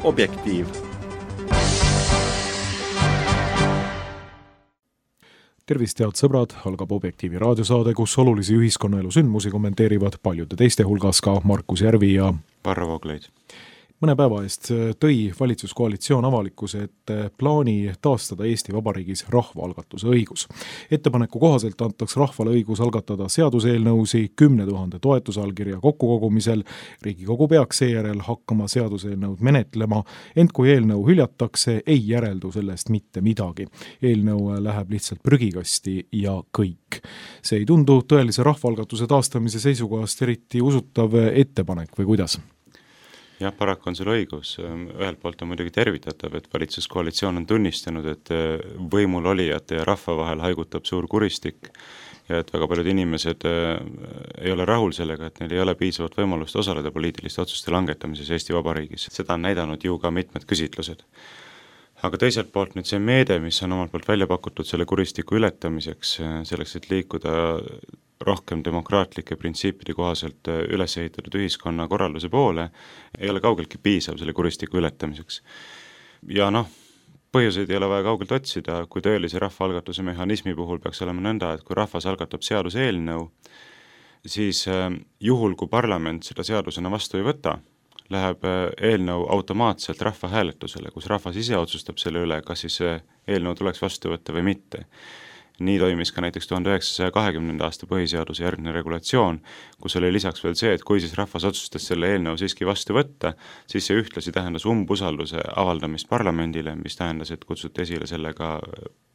Objektiiv. Tervist, head sõbrad, algab Objektiivi raadiosaade, kus olulisi ühiskonnaelu sündmusi kommenteerivad paljude teiste hulgas ka Markus Järvi ja Varro Vooglaid. Mõne päeva eest tõi valitsuskoalitsioon avalikkuse ette plaani taastada Eesti Vabariigis rahvaalgatuse õigus. Ettepaneku kohaselt antaks rahvale õigus algatada seaduseelnõusi 10 000 toetusallkirja kokkukogumisel. Riigikogu peaks seejärel hakkama seaduseelnõud menetlema, ent kui eelnõu hüljatakse, ei järeldu sellest mitte midagi. Eelnõu läheb lihtsalt prügikasti ja kõik. See ei tundu tõelise rahvaalgatuse taastamise seisukohast eriti usutav ettepanek või kuidas? Jah, paraku on sul õigus. Ühelt poolt on muidugi tervitatav, et valitsuskoalitsioon on tunnistanud, et võimul olijate ja rahva vahel haigutab suur kuristik ja et väga paljud inimesed ei ole rahul sellega, et neil ei ole piisavat võimalust osaleda poliitiliste otsuste langetamises Eesti Vabariigis. Seda on näidanud ju ka mitmed küsitlused. Aga teiselt poolt nüüd see meede, mis on omalt poolt välja pakutud selle kuristiku ületamiseks, selleks, et liikuda rohkem demokraatlike printsiipide kohaselt üles ehitatud ühiskonna korralduse poole, ei ole kaugeltki piisav selle kuristiku ületamiseks. Ja põhjuseid ei ole vaja kaugelt otsida, kui tõelise rahvaalgatuse mehhanismi puhul peaks olema nõnda, et kui rahvas algatab seaduseelnõu, siis juhul, kui parlament seda seadusena vastu ei võta, läheb eelnõu automaatselt rahvahääletusele, kus rahvas ise otsustab selle üle, kas siis eelnõu tuleks vastu võtta või mitte. Nii toimis ka näiteks 1920. aasta põhiseaduse järgne regulatsioon, kus oli lisaks veel see, et kui siis rahvas otsustas selle eelnõu siiski vastu võtta, siis see ühtlasi tähendas umbusalduse avaldamist parlamendile, mis tähendas, et kutsuti esile sellega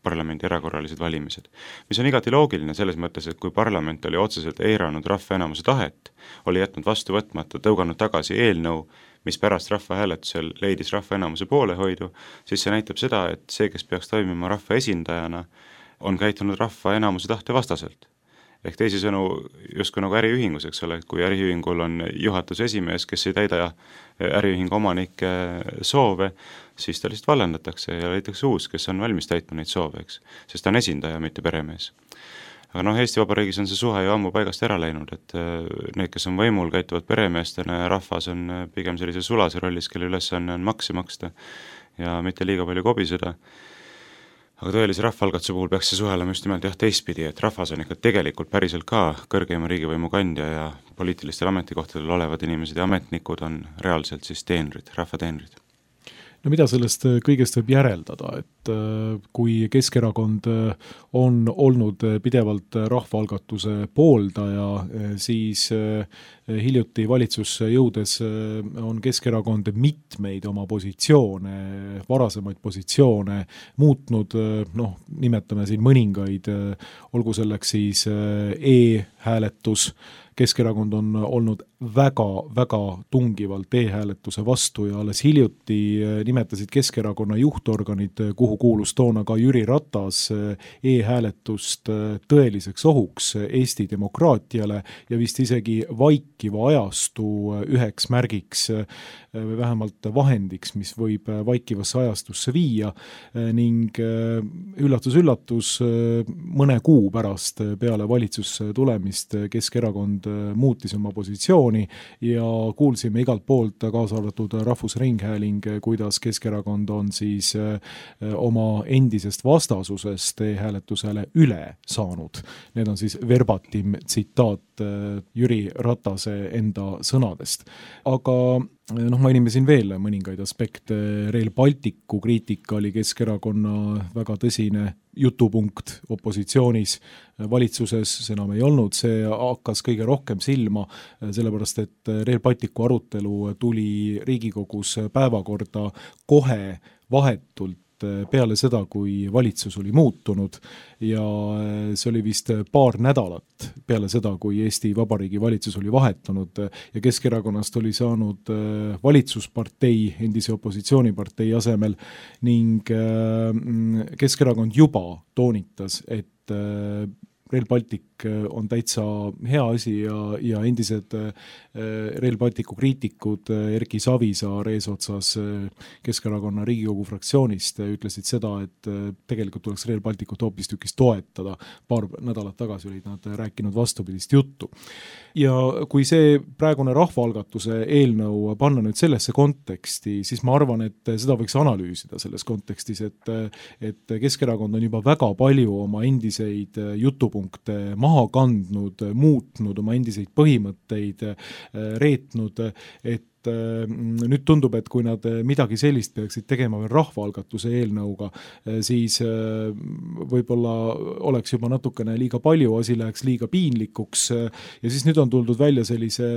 parlamendi erakorralised valimised. Mis on igati loogiline selles mõttes, et kui parlament oli otseselt eiranud rahva enamuse tahet, oli jätnud vastu võtmata, tõuganud tagasi eelnõu, mis pärast rahvahääletusel leidis rahva enamuse poolehoidu, siis see näitab seda, et see, kes peaks toimima rahva esindajana, on käitunud rahva enamuse tahte vastaselt. Ehk teisisõnu justkui nagu äriühingus, eks ole, kui äriühingul on juhatuse esimees, kes ei täida äriühingu omanike soove, siis ta lihtsalt vallandatakse ja leitakse uus, kes on valmis täitma neid soove, eks, sest ta on esindaja, mitte peremees. Aga Eesti Vabariigis on see suhe ju ammu paigast ära läinud, et need, kes on võimul, käituvad peremeestena ja rahvas on pigem sellise sulase rollis, kelle ülesanne on makse maksta ja mitte liiga palju kobiseda. Aga tõelise rahvaalgatuse puhul peaks see suhelema just nimelt teistpidi, et rahvas on ikka tegelikult päriselt ka kõrgeima riigivõimu kandja ja poliitilistel ametikohtadel olevad inimesed ja ametnikud on reaalselt siis teenrid, rahvateenrid. No mida sellest kõigest võib järeldada, et kui Keskerakond on olnud pidevalt rahvaalgatuse pooldaja, siis hiljuti valitsusse jõudes on Keskerakond mitmeid oma positsioone, varasemaid positsioone muutnud, nimetame siin mõningaid, olgu selleks siis e-hääletus. Keskerakond on olnud väga tungivalt e-hääletuse vastu ja alles hiljuti nimetasid Keskerakonna juhtorganid, kuhu kuulus toona ka Jüri Ratas, e-hääletust tõeliseks ohuks Eesti demokraatiale ja vist isegi vaikiva ajastu üheks märgiks, vähemalt vahendiks, mis võib vaikivasse ajastusse viia ning üllatus, mõne kuu pärast peale valitsusse tulemist Keskerakond muutis oma positsiooni ja kuulsime igalt poolt, kaasa arvatud Rahvusringhääling, kuidas Keskerakond on siis oma endisest vastasusest e-hääletusele üle saanud. Need on siis verbatim tsitaat Jüri Ratase enda sõnadest. Aga mainime siin veel mõningaid aspekte. Rail Balticu kriitika oli Keskerakonna väga tõsine jutupunkt opositsioonis, valitsuses see enam ei olnud, see hakkas kõige rohkem silma, sellepärast et Rail Balticu arutelu tuli Riigikogus päevakorda kohe vahetult peale seda, kui valitsus oli muutunud ja see oli vist paar nädalat peale seda, kui Eesti Vabariigi valitsus oli vahetunud ja Keskerakonnast oli saanud valitsuspartei, endise opositsioonipartei asemel ning Keskerakond juba toonitas, et Rail Baltic valik on täitsa hea asi ja endised Rail Balticu kriitikud Erki Savisaar eesotsas Keskerakonna Riigikogu fraktsioonist ütlesid seda, et tegelikult tuleks Rail Balticut hoopistükkis toetada. Paar nädalat tagasi olid nad rääkinud vastupidist juttu. Ja kui see praegune rahvaalgatuse eelnõu panna nüüd sellesse konteksti, siis ma arvan, et seda võiks analüüsida selles kontekstis, et Keskerakond on juba väga palju oma endiseid jutupunkte maha kandnud, muutnud, oma endiseid põhimõtteid reetnud, et nüüd tundub, et kui nad midagi sellist peaksid tegema veel rahvaalgatuse eelnõuga, siis võib-olla oleks juba natukene liiga palju, asi läheks liiga piinlikuks ja siis nüüd on tuldud välja sellise,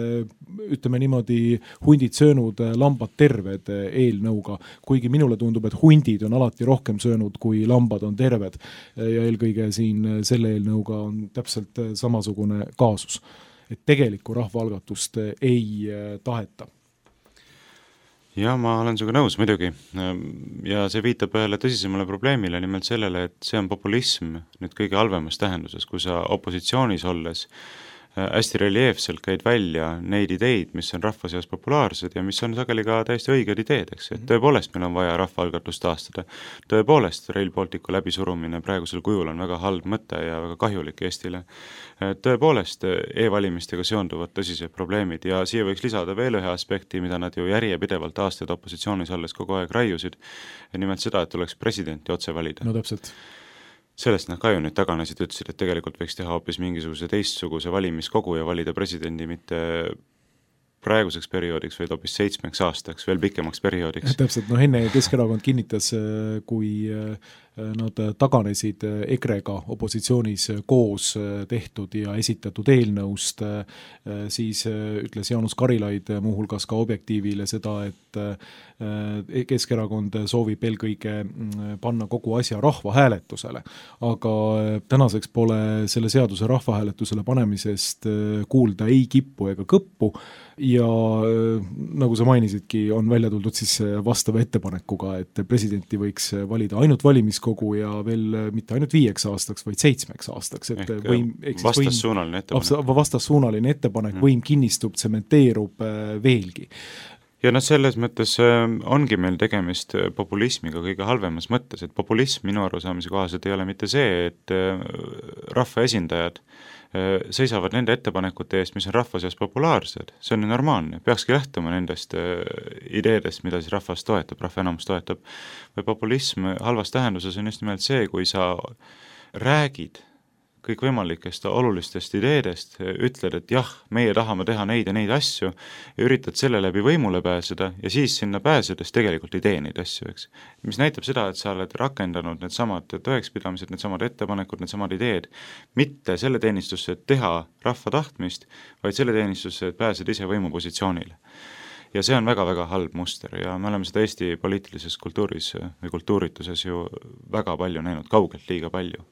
ütleme niimoodi, hundid söönud, lambad terved eelnõuga, kuigi minule tundub, et hundid on alati rohkem söönud, kui lambad on terved ja eelkõige siin selle eelnõuga on täpselt samasugune kaasus, et tegelikku rahvaalgatust ei taheta. Ja ma olen sinuga nõus muidugi ja see viitab ühele tõsisemale probleemile, nimelt sellele, et see on populism nüüd kõige halvemas tähenduses, kui sa opositsioonis olles hästi reljeefselt käid välja neid ideid, mis on rahva seas populaarsed ja mis on sageli ka täiesti õiged ideed, eks, et tõepoolest meil on vaja rahvaalgatust taastada. Tõepoolest Rail Balticu läbisurumine praegusel kujul on väga halb mõte ja väga kahjulik Eestile. Tõepoolest e-valimistega seonduvad tõsised probleemid ja siia võiks lisada veel ühe aspekti, mida nad ju järjepidevalt aastaid opositsioonis olles kogu aeg raiusid, nimelt seda, et tuleks presidenti otse valida. No täpselt. Sellest nad ka ju nüüd taganesid, ütlesid, et tegelikult võiks teha hoopis mingisuguse teistsuguse valimiskogu ja valida presidendi mitte praeguseks perioodiks, vaid hoopis 7 aastaks, veel pikemaks perioodiks. Täpselt, enne Keskerakond kinnitas, kui nad taganesid EKRE-ga opositsioonis koos tehtud ja esitatud eelnõust, siis ütles Jaanus Karilaid muuhulgas ka Objektiivile seda, et Keskerakond soovib eelkõige panna kogu asja rahvahääletusele, aga tänaseks pole selle seaduse rahvahääletusele panemisest kuulda ei kippu ega kõppu ja nagu sa mainisidki, on välja tuldud siis vastava ettepanekuga, et presidenti võiks valida ainult valimiskogu ja veel mitte ainult 5 aastaks, vaid 7 aastaks. Et vastassuunaline ettepanek, võim kinnistub, tsementeerub veelgi. Ja selles mõttes ongi meil tegemist populismiga kõige halvemas mõttes, et populism minu arusaamise kohaselt ei ole mitte see, et rahvaesindajad seisavad nende ettepanekute eest, mis on rahva seas populaarsed. See on normaalne, peakski lähtuma nendest ideedest, mida siis rahvas toetab, rahva enamus toetab. Või populism halvas tähenduses on just nimelt see, kui sa räägid kõikvõimalikest olulistest ideedest, ütled, et jah, meie tahame teha neid ja neid asju ja üritad selle läbi võimule pääseda ja siis sinna pääsedes tegelikult ei tee neid asju, eks. Mis näitab seda, et sa oled rakendanud need samad tõekspidamised, need samad ettepanekud, need samad ideed, mitte selle teenistusse, et teha rahva tahtmist, vaid selle teenistusse, et pääsed ise võimupositsioonile. Ja see on väga-väga halb muster ja me oleme seda Eesti poliitilises kultuuris või kultuurituses ju väga palju näinud, kaugelt liiga palju.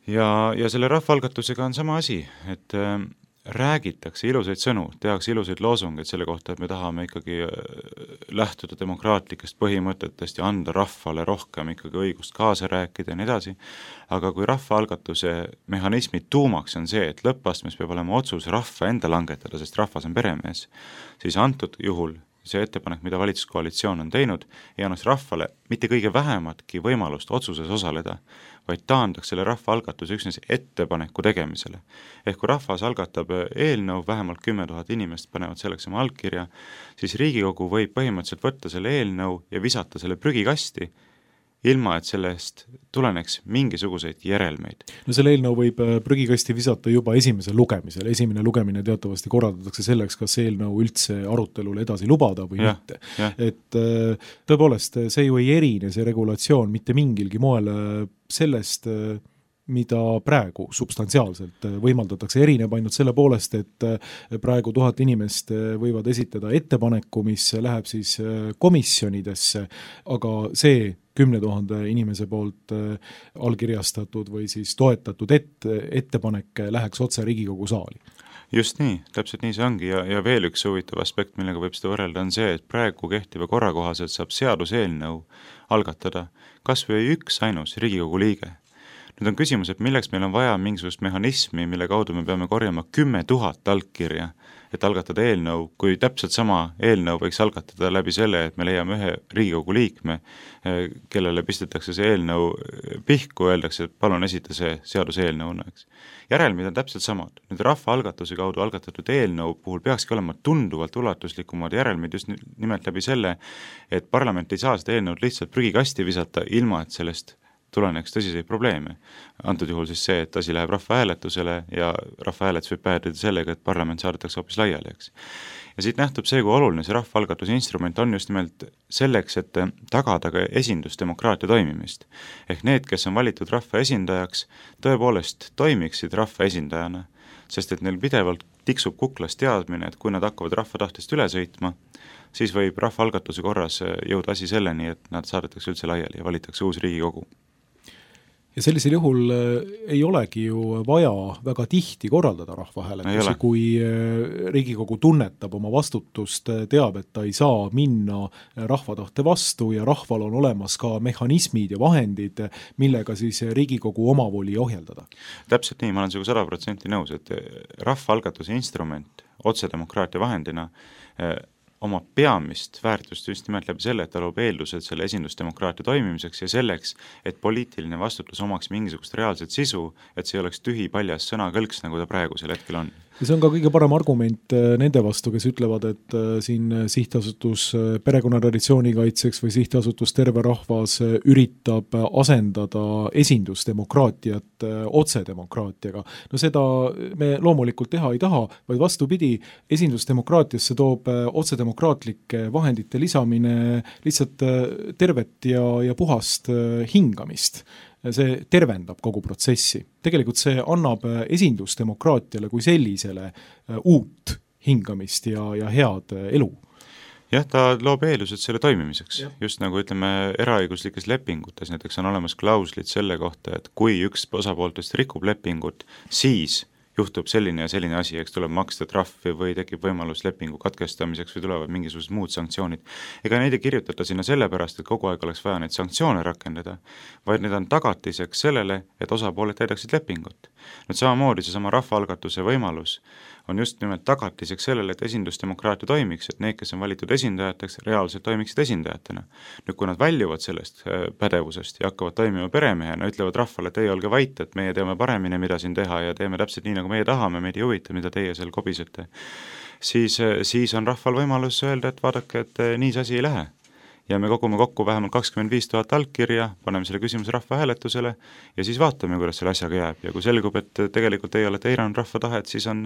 Ja selle rahvaalgatusega on sama asi, et räägitakse ilusaid sõnu, tehakse ilusaid loosungeid selle kohta, et me tahame ikkagi lähtuda demokraatlikest põhimõtetest ja anda rahvale rohkem ikkagi õigust kaasa rääkida ja nii edasi, aga kui rahvaalgatuse mehhanismi tuumaks on see, et lõppastmes peab olema otsus rahva enda langetada, sest rahvas on peremees, siis antud juhul see ettepanek, mida valitsuskoalitsioon on teinud, ei annaks rahvale mitte kõige vähematki võimalust otsuses osaleda, vaid taandaks selle rahvaalgatuse üksnes ettepaneku tegemisele. Ehk kui rahvas algatab eelnõu, vähemalt 10 000 inimest panevad selleks oma allkirja, siis Riigikogu võib põhimõtteliselt võtta selle eelnõu ja visata selle prügikasti, ilma et sellest tuleneks mingisuguseid järelmeid. No selle eelnõu võib prügikasti visata juba esimesel lugemisel. Esimene lugemine teatavasti korraldatakse selleks, kas eelnõu üldse arutelule edasi lubada või mitte. Et tõepoolest, see ju ei erine, see regulatsioon mitte mingilgi moel sellest, mida praegu substantsiaalselt võimaldatakse, erineb ainult selle poolest, et praegu 1000 inimest võivad esitada ettepaneku, mis läheb siis komisjonidesse, aga see 10 000 inimese poolt allkirjastatud või siis toetatud ettepanek läheks otse Riigikogu saali. Just nii, täpselt nii see ongi ja veel üks huvitav aspekt, millega võib seda võrrelda, on see, et praegu kehtiva korra kohaselt saab seaduseelnõu algatada kas või üks ainus Riigikogu liige. Nüüd on küsimus, et milleks meil on vaja mingisugust mehhanismi, mille kaudu me peame korjama 10 000 allkirja, et algatada eelnõu, kui täpselt sama eelnõu võiks algatada läbi selle, et me leiame ühe Riigikogu liikme, kellele pistetakse see eelnõu pihku, öeldakse, et palun esita see seaduseelnõuna, eks. Järelmid on täpselt samad. Nüüd rahvaalgatuse kaudu algatatud eelnõu puhul peakski olema tunduvalt ulatuslikumad järelmid just nimelt läbi selle, et parlament ei saa seda eelnõud lihtsalt prügikasti visata, ilma et sellest tuleneks tõsiseid probleeme. Antud juhul siis see, et asi läheb rahvahääletusele ja rahvahääletus võib päädida sellega, et parlament saadetakse hoopis laiali, eks. Ja siit nähtub see, kui oluline see rahvaalgatuse instrument on just nimelt selleks, et tagada ka esindusdemokraatia toimimist. Ehk need, kes on valitud rahva esindajaks, tõepoolest toimiksid rahva esindajana, sest et neil pidevalt tiksub kuklas teadmine, et kui nad hakkavad rahva tahtest üle sõitma, siis võib rahvaalgatuse korras jõuda asi selleni, et nad saadetakse üldse laiali ja valitakse uus Riigikogu. Ja sellisel juhul ei olegi ju vaja väga tihti korraldada rahvahääletusi, kui Riigikogu tunnetab oma vastutust, teab, et ta ei saa minna rahvatahte vastu ja rahval on olemas ka mehhanismid ja vahendid, millega siis Riigikogu omavoli ohjeldada. Täpselt nii, ma olen sinuga 100% nõus, et rahvaalgatuse instrument otsedemokraatia vahendina oma peamist väärtust just nimelt läbi selle, et ta loob eeldused selle esindusdemokraatia toimimiseks ja selleks, et poliitiline vastutus omaks mingisugust reaalset sisu, et see oleks tühi paljas sõnakõlks, nagu ta praegusel hetkel on. Ja see on ka kõige parem argument nende vastu, kes ütlevad, et siin sihtasutus perekonnatraditsiooni kaitseks või sihtasutus Terve Rahvas üritab asendada esindusdemokraatiat otsedemokraatiaga. No seda me loomulikult teha ei taha, vaid vastupidi, esindusdemokraatiasse toob otsedemokraatlike vahendite lisamine lihtsalt tervet ja puhast hingamist. See tervendab kogu protsessi. Tegelikult see annab esindusdemokraatiale kui sellisele uut hingamist ja head elu. Jah, ta loob eeldused selle toimimiseks. Just nagu ütleme eraõiguslikes lepingutes, näiteks on olemas klauslid selle kohta, et kui üks osapooltest rikub lepingut, siis juhtub selline ja selline asi, eks tuleb maksta trahvi või tekib võimalus lepingu katkestamiseks või tulevad mingisugused muud sanktsioonid. Ega neid ei kirjutata sinna sellepärast, et kogu aeg oleks vaja neid sanktsioone rakendada, vaid need on tagatiseks sellele, et osapooled täidaksid lepingut. Nüüd samamoodi seesama rahvaalgatuse võimalus on just nimelt tagatiseks sellele, et esindusdemokraatia toimiks, et need, kes on valitud esindajateks, reaalselt toimiksid esindajatena. Nüüd, kui nad väljuvad sellest pädevusest ja hakkavad toimima peremehena, ütlevad rahvale, et teie olge vait, et meie teame paremini, mida siin teha ja teeme täpselt nii, nagu meie tahame, meid ei huvita, mida teie seal kobisete, siis on rahval võimalus öelda, et vaadake, et nii see asi ei lähe. Ja me kogume kokku vähemalt 25 000 allkirja, paneme selle küsimuse rahvahääletusele ja siis vaatame, kuidas selle asjaga jääb. Ja kui selgub, et tegelikult teie olete eiranud rahva tahet, siis on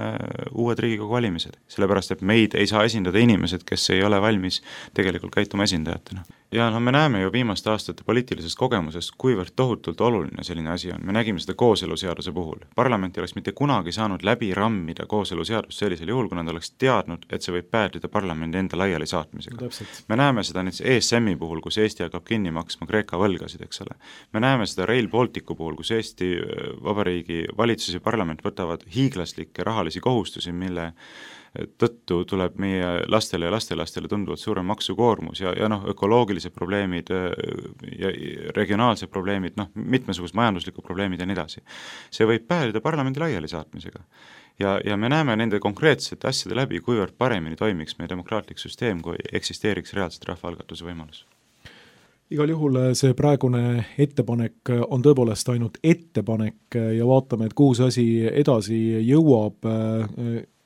uued Riigikogu valimised. Sellepärast, et meid ei saa esindada inimesed, kes ei ole valmis tegelikult käituma esindajatena. Ja me näeme ju viimaste aastate poliitilisest kogemusest, kuivõrd tohutult oluline selline asi on. Me nägime seda kooseluseaduse puhul. Parlament ei oleks mitte kunagi saanud läbi rammida kooseluseadust sellisel juhul, kui nad oleks teadnud, et see võib päädida parlamendi enda laiali saatmisega. Me näeme seda nüüd ESM-i puhul, kus Eesti hakkab kinni maksma Kreeka võlgasid, eks ole. Me näeme seda Rail Balticu puhul, kus Eesti Vabariigi valitsus ja parlament võtavad hiiglaslikke rahalisi kohustusi, mille tõttu tuleb meie lastele ja lastelastele tunduvalt suurem maksukoormus ja ökoloogilised probleemid ja regionaalsed probleemid, mitmesugused majanduslikud probleemid ja nii edasi. See võib päädida parlamendi laiali saatmisega. Ja me näeme nende konkreetsete asjade läbi, kuivõrd paremini toimiks meie demokraatlik süsteem, kui eksisteeriks reaalselt rahvaalgatuse võimalus. Igal juhul see praegune ettepanek on tõepoolest ainult ettepanek ja vaatame, et kuhu see asi edasi jõuab.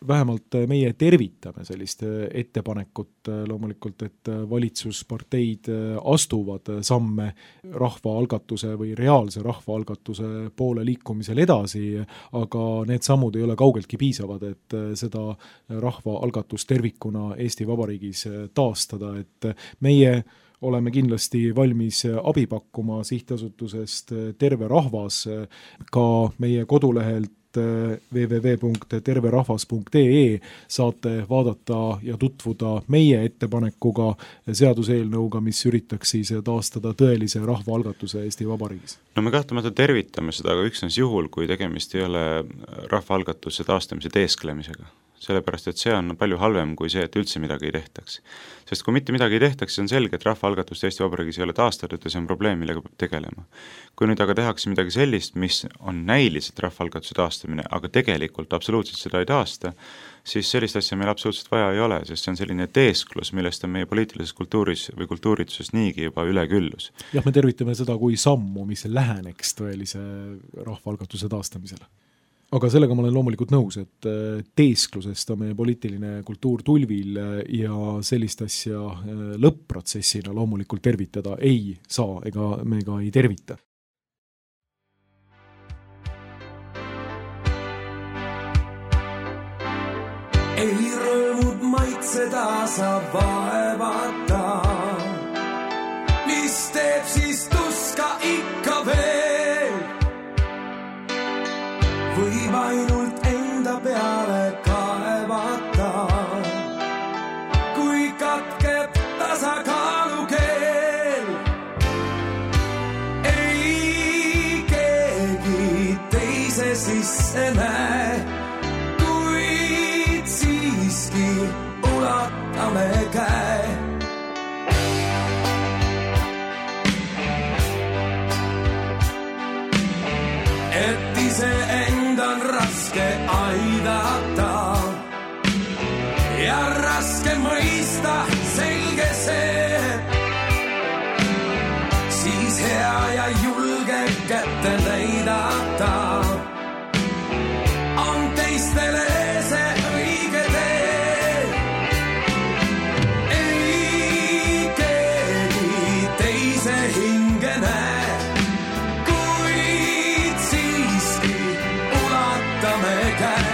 Vähemalt meie tervitame sellist ettepanekut loomulikult, et valitsusparteid astuvad samme rahvaalgatuse või reaalse rahvaalgatuse poole liikumisel edasi, aga need sammud ei ole kaugeltki piisavad, et seda rahvaalgatust tervikuna Eesti Vabariigis taastada, et meie oleme kindlasti valmis abi pakkuma sihtasutusest Terve Rahvas ka meie kodulehelt www.terverahvas.ee saate vaadata ja tutvuda meie ettepanekuga seaduseelnõuga, mis üritaks siis taastada tõelise rahvaalgatuse Eesti Vabariigis. No me kahtlemata tervitame seda, aga üksnes juhul, kui tegemist ei ole rahvaalgatuse taastamise teesklemisega. sellepärast et see on palju halvem kui see, et üldse midagi ei tehtaks. Sest kui mitte midagi ei tehtaks, siis on selge, et rahvaalgatust Eesti Vabariigis ei ole taastatud ja see on probleem, millega peab tegelema. Kui nüüd aga tehakse midagi sellist, mis on näiliselt rahvaalgatuse taastamine, aga tegelikult absoluutselt seda ei taasta, siis sellist asja meil absoluutselt vaja ei ole, sest see on selline teesklus, millest on meie poliitilises kultuuris või kultuurituses niigi juba üleküllus. Jah, me tervitame seda kui sammu, mis läheneks tõelise rahvaalgatuse taastamisele. Aga sellega ma olen loomulikult nõus, et teesklusest on meie poliitiline kultuur tulvil ja sellist asja lõpp-protsessina loomulikult tervitada ei saa ega me ka ei tervita. Ei rõõmud maitseda saab vaevata, mis teeb siis tuska ikka veel. Võib ainult enda peale kaevata, kui katkeb tasakaalukeel. Ei keegi teise sisse näe, kuid siiski ulatame käe. Et iseenda on raske aidata ja raske mõista, selge see. Siis hea ja julge kätte näidata on teistele see õige tee. Ei keegi teise hinge näe, kuid siiski ulatame käe.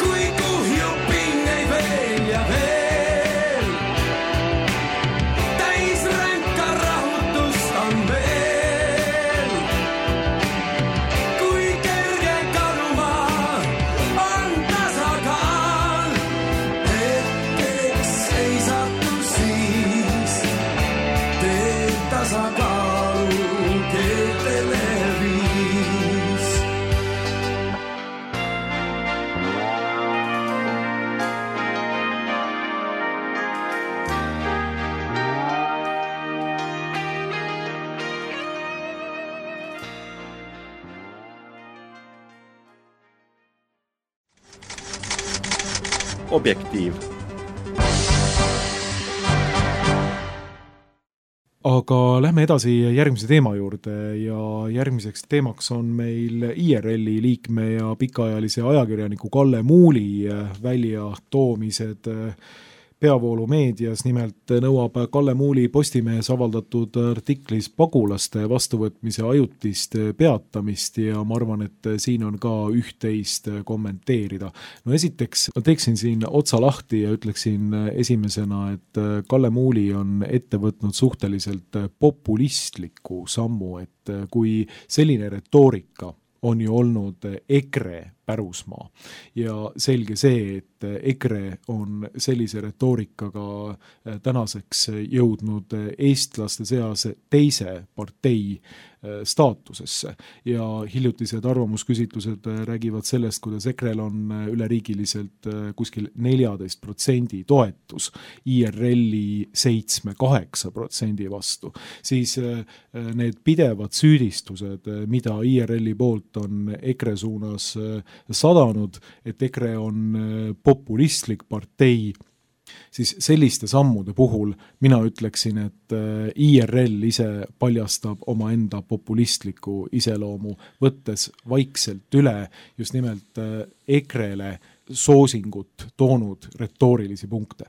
Kui kuhjub pingeid veel ja veel, täis ränka rahutust on veel. Kui kerge kaduma on tasakaal, hetkeks ei satu siis, teeb tasakaalu keetele viis. Objektiiv. Aga lähme edasi järgmise teema juurde ja järgmiseks teemaks on meil IRL-i liikme ja pikaajalise ajakirjaniku Kalle Muuli väljatoomised peavoolumeedias. Nimelt nõuab Kalle Muuli Postimehes avaldatud artiklis pagulaste vastuvõtmise ajutist peatamist ja ma arvan, et siin on ka üht-teist kommenteerida. No esiteks teeksin siin otsa lahti ja ütleksin esimesena, et Kalle Muuli on ette võtnud suhteliselt populistliku sammu, et kui selline retoorika on ju olnud EKRE pärusmaa ja selge see, et EKRE on sellise retoorikaga tänaseks jõudnud eestlaste seas teise partei staatusesse ja hiljutised arvamusküsitlused räägivad sellest, kuidas EKRE-l on üleriigiliselt kuskil 14% toetus IRL-i 7-8% vastu, siis need pidevad süüdistused, mida IRL-i poolt on EKRE suunas sadanud, et EKRE on populistlik partei, siis selliste sammude puhul mina ütleksin, et IRL ise paljastab omaenda populistliku iseloomu, võttes vaikselt üle just nimelt EKRE-le soosingut toonud retoorilisi punkte.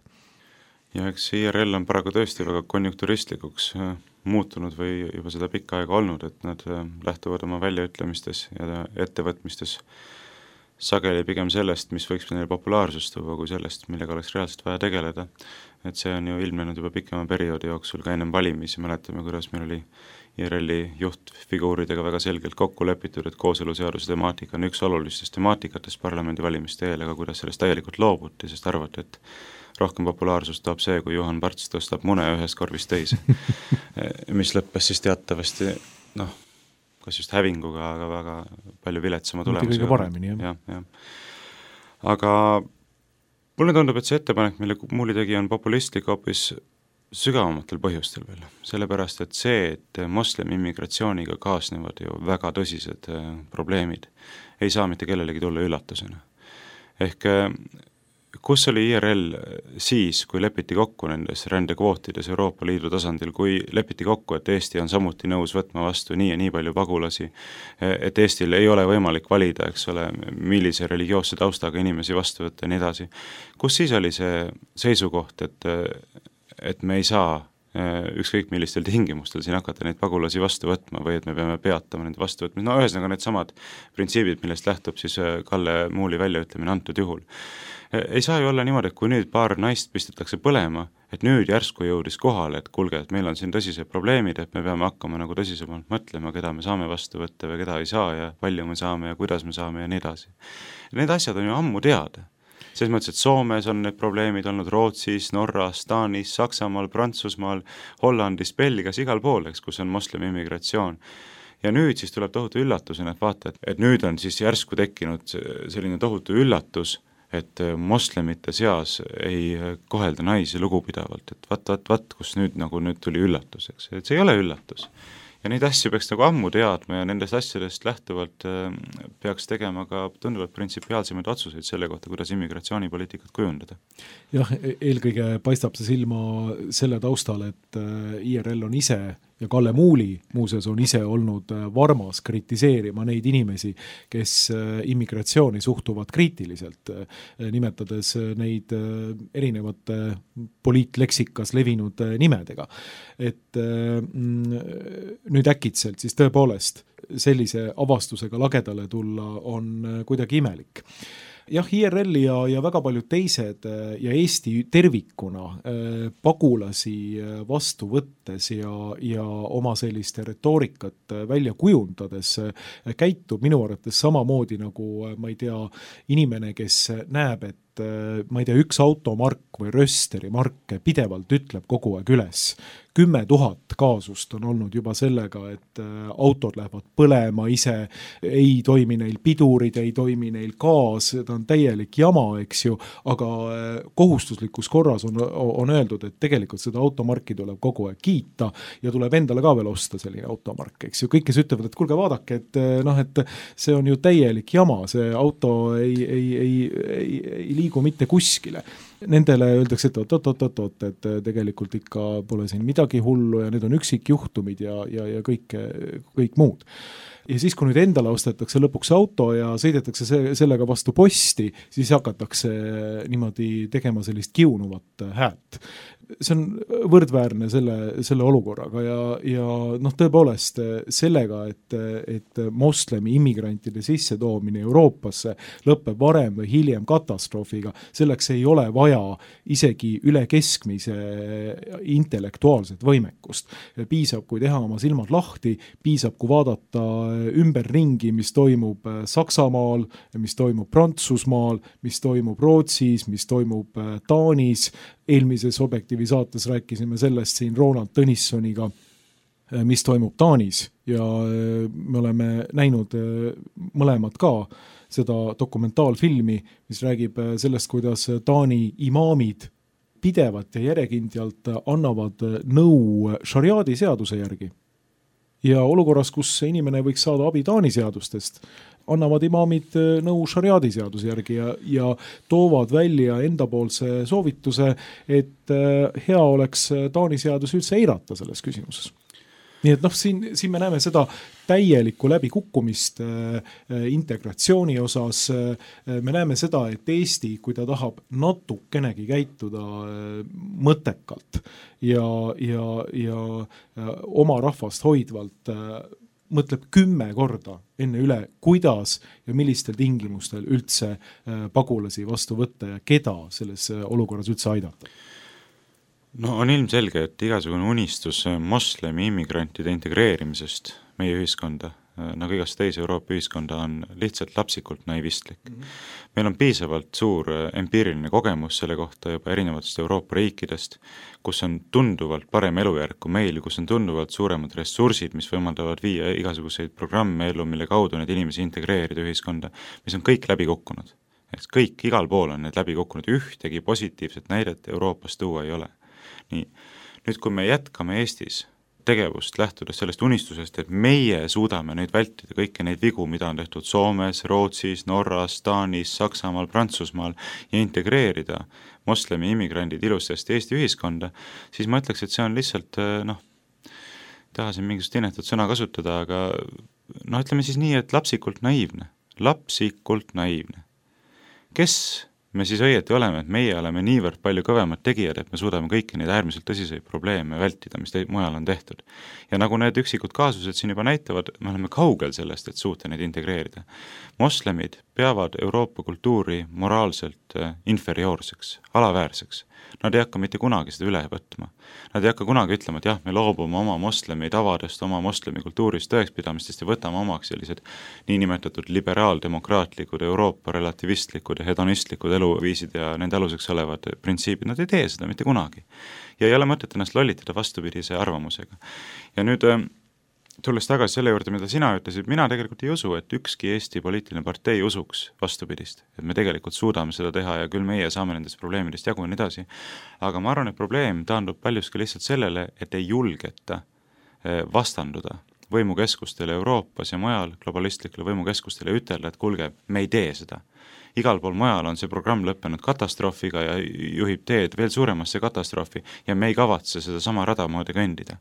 Ja eks IRL on paraku tõesti väga konjunkturistlikuks muutunud või juba seda pikka aega olnud, et nad lähtuvad oma väljaütlemistes ja ettevõtmistes sageli pigem sellest, mis võiks neile populaarsust tuua, kui sellest, millega oleks reaalselt vaja tegeleda. Et see on ju ilmnenud juba pikema perioodi jooksul, ka ennem valimisi mäletame, kuidas meil oli IRL-i juhtfiguuridega väga selgelt kokku lepitud, et kooseluseaduse temaatika on üks olulistest temaatikatest parlamendi valimiste eel, aga kuidas sellest täielikult loobuti, sest arvati, et rohkem populaarsust toob see, kui Juhan Parts tõstab mune ühest korvist teise, mis lõppes siis teatavasti kas just hävinguga, aga väga palju viletsama mitte tulemusega. kõige paremini, jah. Aga mulle tundub, et see ettepanek, mille Muuli tegi, on populistlik hoopis sügavamatel põhjustel veel. Sellepärast, et see, et moslemi immigratsiooniga kaasnevad ju väga tõsised probleemid, ei saa mitte kellelegi tulla üllatusena. Ehk kus oli IRL siis, kui lepiti kokku nendes rändekvootides Euroopa Liidu tasandil, kui lepiti kokku, et Eesti on samuti nõus võtma vastu nii ja nii palju pagulasi, et Eestil ei ole võimalik valida, eks ole, millise religioosse taustaga inimesi vastu võtta ja nii edasi. Kus siis oli see seisukoht, et me ei saa ükskõik millistel tingimustel siin hakata neid pagulasi vastu võtma või et me peame peatama nende vastu võtma. No ühesõnaga need samad printsiibid, millest lähtub siis Kalle Muuli väljaütlemine antud juhul. Ei saa ju olla niimoodi, et kui nüüd paar naist pistetakse põlema, et nüüd järsku jõudis kohale, et kuulge, et meil on siin tõsised probleemid, et me peame hakkama nagu tõsisemalt mõtlema, keda me saame vastu võtta või keda ei saa ja palju me saame ja kuidas me saame ja nii edasi. Need asjad on ju ammu teada. Selles mõttes, et Soomes on need probleemid olnud, Rootsis, Norras, Taanis, Saksamaal, Prantsusmaal, Hollandis, Belgias, igal pool, eks, kus on moslemi immigratsioon. Ja nüüd siis tuleb tohutu üllatusena, et vaata, et nüüd on siis järsku tekkinud selline tohutu üllatus, et moslemite seas ei kohelda naisi lugupidavalt, et vaat, kus nüüd tuli üllatus, eks, et see ei ole üllatus. Ja neid asju peaks nagu ammu teadma ja nendest asjadest lähtuvalt peaks tegema ka tunduvalt printsipiaalsemaid otsuseid selle kohta, kuidas immigratsioonipoliitikat kujundada. Jah, eelkõige paistab see silma selle taustal, et IRL on ise ja Kalle Muuli muuseas on ise olnud varmas kritiseerima neid inimesi, kes immigratsiooni suhtuvad kriitiliselt, nimetades neid erinevate poliitleksikas levinud nimedega. Et nüüd äkitselt siis tõepoolest sellise avastusega lagedale tulla on kuidagi imelik. Jah, IRL ja väga paljud teised ja Eesti tervikuna pagulasi vastu võttes ja oma selliste retoorikat välja kujundades käitub minu arvates samamoodi nagu, ma ei tea, inimene, kes näeb, et ma ei tea, üks automark või rösteri mark pidevalt ütleb kogu aeg üles. 10 000 kaasust on olnud juba sellega, et autod lähevad põlema ise, ei toimi neil pidurid, ei toimi neil gaas, ta on täielik jama, eks ju, aga kohustuslikus korras on öeldud, et tegelikult seda automarki tuleb kogu aeg kiita ja tuleb endale ka veel osta selline automark, eks ju. Kõik, kes ütlevad, et kuulge, vaadake, et see on ju täielik jama, see auto ei liigu mitte kuskile. Nendele öeldakse, et oot, et tegelikult ikka pole siin midagi hullu ja need on üksikjuhtumid ja kõik muud. Ja siis, kui nüüd endale ostetakse lõpuks auto ja sõidetakse sellega vastu posti, siis hakatakse niimoodi tegema sellist kiunuvat häält. See on võrdväärne selle olukorraga ja tõepoolest sellega, et moslemi immigrantide sissetoomine Euroopasse lõpeb varem või hiljem katastroofiga, selleks ei ole vaja isegi üle keskmise intellektuaalset võimekust. Piisab, kui teha oma silmad lahti, piisab, kui vaadata ümberringi, mis toimub Saksamaal, mis toimub Prantsusmaal, mis toimub Rootsis, mis toimub Taanis. Eelmises Objektiivi saates rääkisime sellest siin Ronald Tõnissoniga, mis toimub Taanis ja me oleme näinud mõlemad ka seda dokumentaalfilmi, mis räägib sellest, kuidas Taani imaamid pidevalt ja järjekindjalt annavad nõu šariaadi seaduse järgi. Ja olukorras, kus inimene võiks saada abi Taani seadustest, annavad imaamid nõu šariaadi seaduse järgi ja toovad välja endapoolse soovituse, et hea oleks Taani seadus üldse eirata selles küsimuses. Nii et siin me näeme seda täielikku läbikukkumist integratsiooni osas. Me näeme seda, et Eesti, kui ta tahab natukenegi käituda mõttekalt ja oma rahvast hoidvalt, mõtleb 10 korda enne üle, kuidas ja millistel tingimustel üldse pagulasi vastu võtta ja keda selles olukorras üldse aidata. No on ilmselge, et igasugune unistus moslemi immigrantide integreerimisest meie ühiskonda nagu igast teise Euroopa ühiskonda, on lihtsalt lapsikult naivistlik. Meil on piisavalt suur empiiriline kogemus selle kohta juba erinevatest Euroopa riikidest, kus on tunduvalt parem elujärg kui meil, kus on tunduvalt suuremad ressursid, mis võimaldavad viia igasuguseid programme ellu, mille kaudu neid inimesi integreerida ühiskonda, mis on kõik läbi kukkunud. Kõik, igal pool on need läbi kukkunud, ühtegi positiivset näidet Euroopas tuua ei ole. Nii, nüüd kui me jätkame Eestis tegevust lähtudes sellest unistusest, et meie suudame nüüd vältida kõiki neid vigu, mida on tehtud Soomes, Rootsis, Norras, Taanis, Saksamaal, Prantsusmaal ja integreerida moslemi immigrandid ilusasti Eesti ühiskonda, siis ma ütleks, et see on lihtsalt, tahasin mingisugust inetut sõna kasutada, aga ütleme siis nii, et lapsikult naiivne. Kes me siis õieti oleme, et meie oleme niivõrd palju kõvemad tegijad, et me suudame kõiki neid äärmiselt tõsiseid probleeme vältida, mis mujal on tehtud. Ja nagu need üksikud kaasused siin juba näitavad, me oleme kaugel sellest, et suuta neid integreerida. Moslemid peavad Euroopa kultuuri moraalselt inferioorseks, alaväärseks. Nad ei hakka mitte kunagi seda üle võtma. Nad ei hakka kunagi ütlema, et jah, me loobume oma moslemi tavadest, oma moslemi kultuurist, tõekspidamistest ja võtame omaks sellised niinimetatud liberaaldemokraatlikud, Euroopa relativistlikud ja hedonistlikud eluviisid ja nende aluseks olevad printsiibid. Nad ei tee seda mitte kunagi. Ja ei ole mõtet ennast lollitada vastupidise arvamusega. Ja nüüd tulles tagasi selle juurde, mida sina ütlesid, mina tegelikult ei usu, et ükski Eesti poliitiline partei usuks vastupidist, et me tegelikult suudame seda teha ja küll meie saame nendest probleemidest jagu ja nii edasi. Aga ma arvan, et probleem taandub paljuski lihtsalt sellele, et ei julgeta vastanduda võimukeskustele Euroopas ja mujal globalistlikele võimukeskustele ütelda, et kuulge, me ei tee seda. Igal pool mujal on see programm lõppenud katastroofiga ja juhib teed veel suuremasse katastroofi ja me ei kavatse seda sama rada moodi kõndida.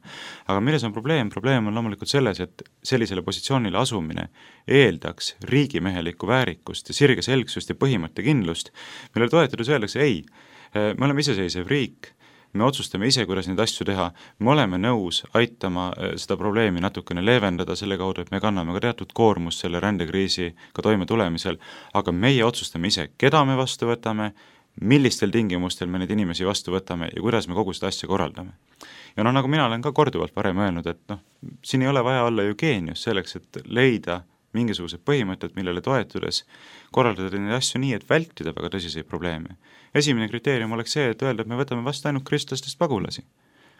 Aga milles on probleem? Probleem on loomulikult selles, et sellisele positsioonile asumine eeldaks riigimehelikku väärikust ja sirge selgsust ja põhimõttekindlust, mille toetades öeldakse, ei, me oleme iseseisev riik, me otsustame ise, kuidas neid asju teha, me oleme nõus aitama seda probleemi natukene leevendada selle kaudu, et me kanname ka teatud koormust selle rändekriisiga toime tulemisel, aga meie otsustame ise, keda me vastu võtame, millistel tingimustel me neid inimesi vastu võtame ja kuidas me kogu seda asja korraldame. Ja nagu mina olen ka korduvalt varem öelnud, et siin ei ole vaja olla ju geenius selleks, et leida mingisugused põhimõtted, millele toetudes korraldada neid asju nii, et vältida väga tõsiseid probleeme. Esimene kriteerium oleks see, et öelda, et me võtame vastu ainult kristlastest pagulasi.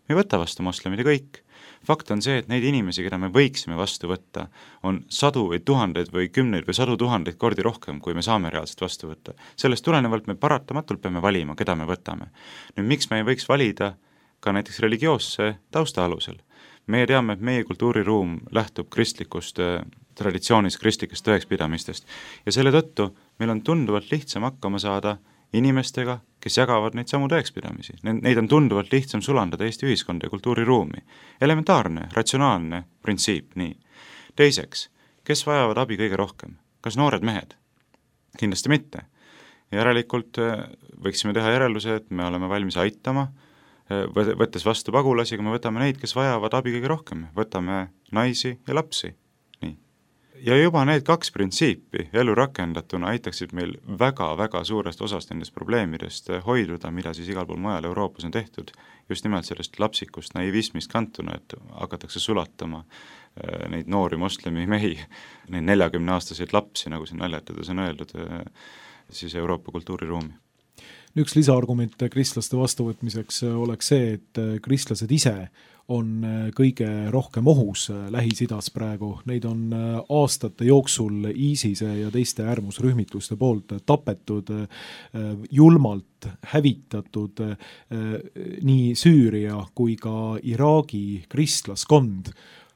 Me ei võta vastu moslemid ja kõik. Fakt on see, et neid inimesi, keda me võiksime vastu võtta, on sadu või tuhandeid või kümneid või sadu tuhandeid kordi rohkem, kui me saame reaalselt vastu võtta. Sellest tulenevalt me paratamatult peame valima, keda me võtame. Nüüd, miks me ei võiks valida ka näiteks religioosse tausta alusel? Meie teame, et meie kultuuriruum lähtub kristlikust traditsioonis, kristlikest tõekspidamistest ja selle tõttu meil on tunduvalt lihtsam hakkama saada inimestega, kes jagavad neid samu tõekspidamisi. Neid on tunduvalt lihtsam sulandada Eesti ühiskonda ja kultuuriruumi. Elementaarne, ratsionaalne printsiip, nii. Teiseks, kes vajavad abi kõige rohkem? Kas noored mehed? Kindlasti mitte. Järelikult võiksime teha järelduse, et me oleme valmis aitama, võttes vastu pagulasi, aga me võtame neid, kes vajavad abi kõige rohkem. Võtame naisi ja lapsi. Nii. Ja juba need kaks printsiipi elu rakendatuna aitaksid meil väga-väga suurest osast nendest probleemidest hoiduda, mida siis igal pool mujal Euroopas on tehtud, just nimelt sellest lapsikust naivismist kantuna, et hakatakse sulatama neid noori moslemi mehi, neid 40-aastaseid lapsi, nagu siin naljatades on öeldud, siis Euroopa kultuuriruumi. Üks lisaargument kristlaste vastuvõtmiseks oleks see, et kristlased ise on kõige rohkem ohus Lähis-Idas praegu. Neid on aastate jooksul ISISe ja teiste äärmusrühmituste poolt tapetud, julmalt hävitatud nii Süüria kui ka Iraagi kristlaskond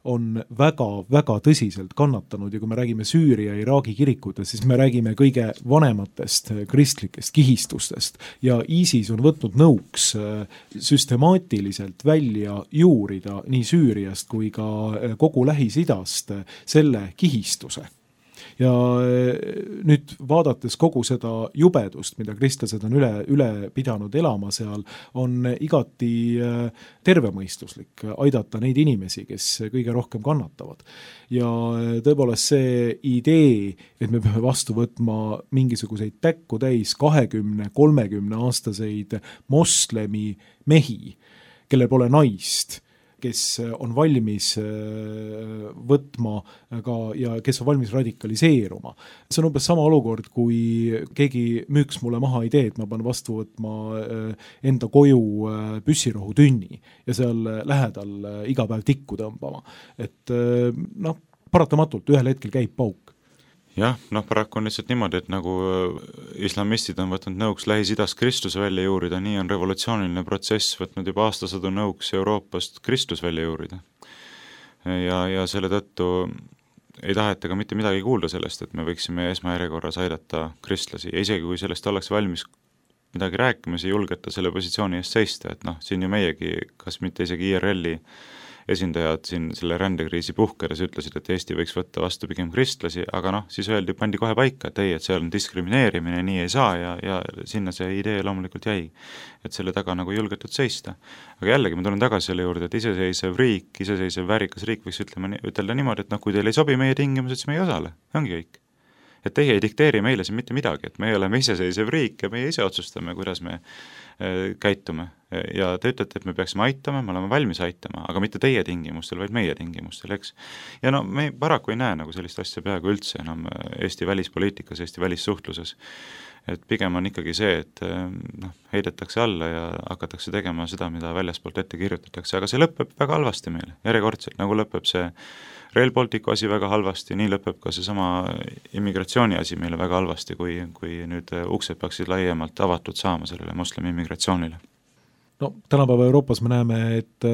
on väga-väga tõsiselt kannatanud ja kui me räägime Süüria ja Iraagi kirikutest, siis me räägime kõige vanematest kristlikest kihistustest ja ISIS on võtnud nõuks süstemaatiliselt välja juurida nii Süüriast kui ka kogu Lähis-Idast selle kihistuse. Ja nüüd vaadates kogu seda jubedust, mida kristlased on üle pidanud elama seal, on igati tervemõistuslik aidata neid inimesi, kes kõige rohkem kannatavad. Ja tõepoolest see idee, et me peame vastu võtma mingisuguseid päkku täis 20-30 aastaseid moslemi mehi, kellel pole naist, kes on valmis võtma ka ja kes on valmis radikaliseeruma. See on umbes sama olukord, kui keegi müüks mulle maha idee, et ma pean vastu võtma enda koju püssirohutünni ja seal lähedal iga päev tikku tõmbama. Et paratamatult ühel hetkel käib pauk. Jah, paraku on lihtsalt niimoodi, et nagu islamistid on võtnud nõuks Lähis-Idast Kristluse välja juurida, nii on revolutsiooniline protsess võtnud juba aastasadu nõuks Euroopast Kristlus välja juurida. Ja selle tõttu ei taheta ka mitte midagi kuulda sellest, et me võiksime esmajärjekorras aidata kristlasi ja isegi kui sellest oleks valmis midagi rääkima, siis ei julgeta selle positsiooni eest seista, et siin ju meiegi, kas mitte isegi IRL-i esindajad siin selle rändekriisi puhkedes ütlesid, et Eesti võiks võtta vastu pigem kristlasi, aga siis pandi kohe paika, et see on diskrimineerimine, nii ei saa ja sinna see idee loomulikult jäi, et selle taga nagu julgetud seista. Aga jällegi ma tulen tagasi selle juurde, et iseseisev väärikas riik võiks ütelda niimoodi, et kui teil ei sobi meie tingimused, siis me ei osale, ongi kõik. Et teie ei dikteeri meile siin mitte midagi, et me oleme iseseisev riik ja meie ise otsustame, kuidas me käitume. Ja te ütlete, et me peaksime aitama, me oleme valmis aitama, aga mitte teie tingimustel, vaid meie tingimustel, eks. Ja me paraku ei näe nagu sellist asja peaaegu üldse enam Eesti välispoliitikas, Eesti välissuhtluses. Et pigem on ikkagi see, et heidetakse alla ja hakatakse tegema seda, mida väljaspoolt ette kirjutatakse, aga see lõpeb väga halvasti meile, järjekordselt, nagu lõpeb see Rail Balticu asi väga halvasti, nii lõpeb ka see sama immigratsiooni asi meile väga halvasti, kui nüüd uksed peaksid laiemalt avatud saama sellele moslemi immigratsioonile. Tänapäeva Euroopas me näeme, et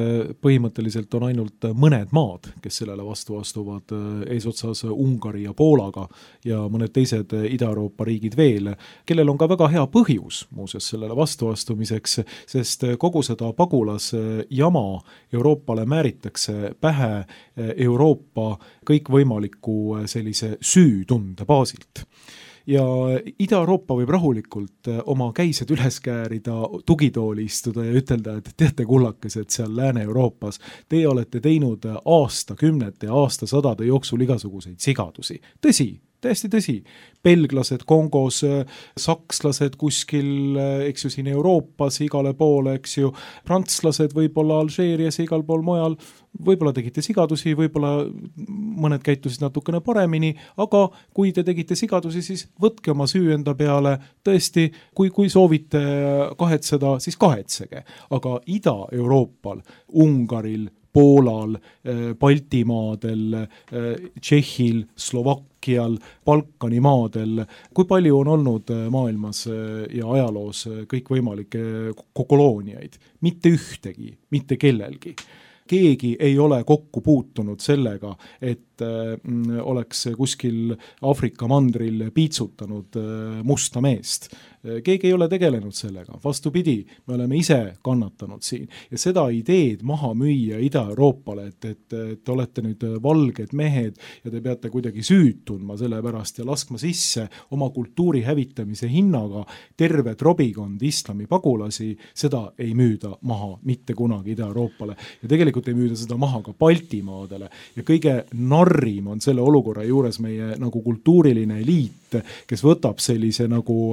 põhimõtteliselt on ainult mõned maad, kes sellele vastu astuvad, eesotsas Ungari ja Poolaga ja mõned teised Ida-Euroopa riigid veel, kellel on ka väga hea põhjus muuseas sellele vastuastumiseks, sest kogu seda pagulasjama Euroopale määritakse pähe Euroopa kõikvõimaliku sellise süütunde baasilt. Ja Ida-Euroopa võib rahulikult oma käised üles käärida, tugitooli istuda ja ütelda, et teate kullakesed seal Lääne-Euroopas, teie olete teinud aastakümnete ja aastasadade jooksul igasuguseid sigadusi. Tõsi, täiesti tõsi. Belglased Kongos, sakslased kuskil, eks ju, siin Euroopas igale poole, eks ju, prantslased võib-olla Alžeerias ja igal pool mujal, võib-olla tegite sigadusi, võib-olla mõned käitusid natukene paremini, aga kui te tegite sigadusi, siis võtke oma süü enda peale, tõesti, kui soovite kahetseda, siis kahetsege. Aga Ida-Euroopal, Ungaril, Poolal, Baltimaadel, Tšehhil, Slovakkial, Balkani maadel, kui palju on olnud maailmas ja ajaloos kõikvõimalikke kolooniaid? Mitte ühtegi, mitte kellelgi. Keegi ei ole kokku puutunud sellega, et oleks kuskil Aafrika mandril piitsutanud musta meest. Keegi ei ole tegelenud sellega, vastupidi, me oleme ise kannatanud siin ja seda ideed maha müüa Ida-Euroopale, et te olete nüüd valged mehed ja te peate kuidagi süüd tundma selle pärast ja laskma sisse oma kultuuri hävitamise hinnaga terve trobikond islami pagulasi, seda ei müüda maha mitte kunagi Ida-Euroopale ja tegelikult ei müüda seda maha ka Baltimaadele ja kõige narrim on selle olukorra juures meie nagu kultuuriline eliit, kes võtab sellise nagu